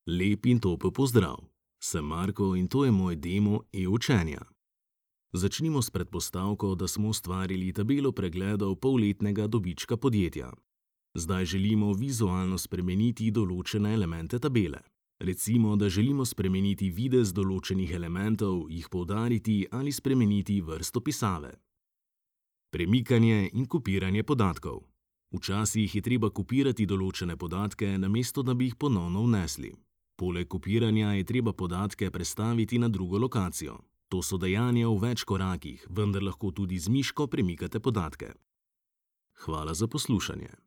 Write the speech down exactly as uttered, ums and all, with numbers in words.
Lep in topel pozdrav. Sem Marko in to je moj demo e-učenja. Začnimo s predpostavko, da smo ustvarili tabelo pregledov polletnega dobička podjetja. Zdaj želimo vizualno spremeniti določene elemente tabele. Recimo, da želimo spremeniti videz določenih elementov, jih poudariti ali spremeniti vrsto pisave. Premikanje in kopiranje podatkov. Včasih je treba kopirati določene podatke, namesto da bi jih ponovno vnesli. Poleg kopiranja je treba podatke prestaviti na drugo lokacijo. To so dejanja v več korakih, vendar lahko tudi z miško premikate podatke. Hvala za poslušanje.